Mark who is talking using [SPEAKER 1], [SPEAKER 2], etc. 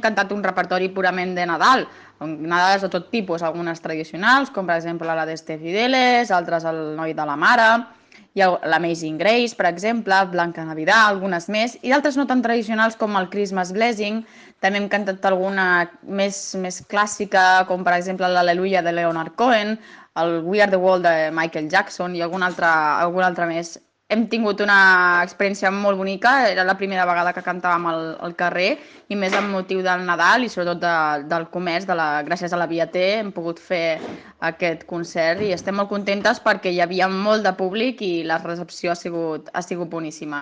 [SPEAKER 1] cantat un repertori purament de Nadal, Nadales de tot tipus, algunes tradicionals, com per exemple la d'Este Fideles, altres el Noi de la Mare, hi ha l'Amazing Grace, per exemple, Blanca Navidad, algunes més, i d'altres no tan tradicionals com el Christmas Blessing. També hem cantat alguna més clàssica, com per exemple l'Aleluia de Leonard Cohen, el We Are the World de Michael Jackson i alguna altra més. Hem tingut una experiència molt bonica, era la primera vegada que cantàvem al carrer i més amb motiu del Nadal i sobretot del comerç, gràcies a la Via T hem pogut fer aquest concert i estem molt contentes perquè hi havia molt de públic i la recepció ha sigut boníssima.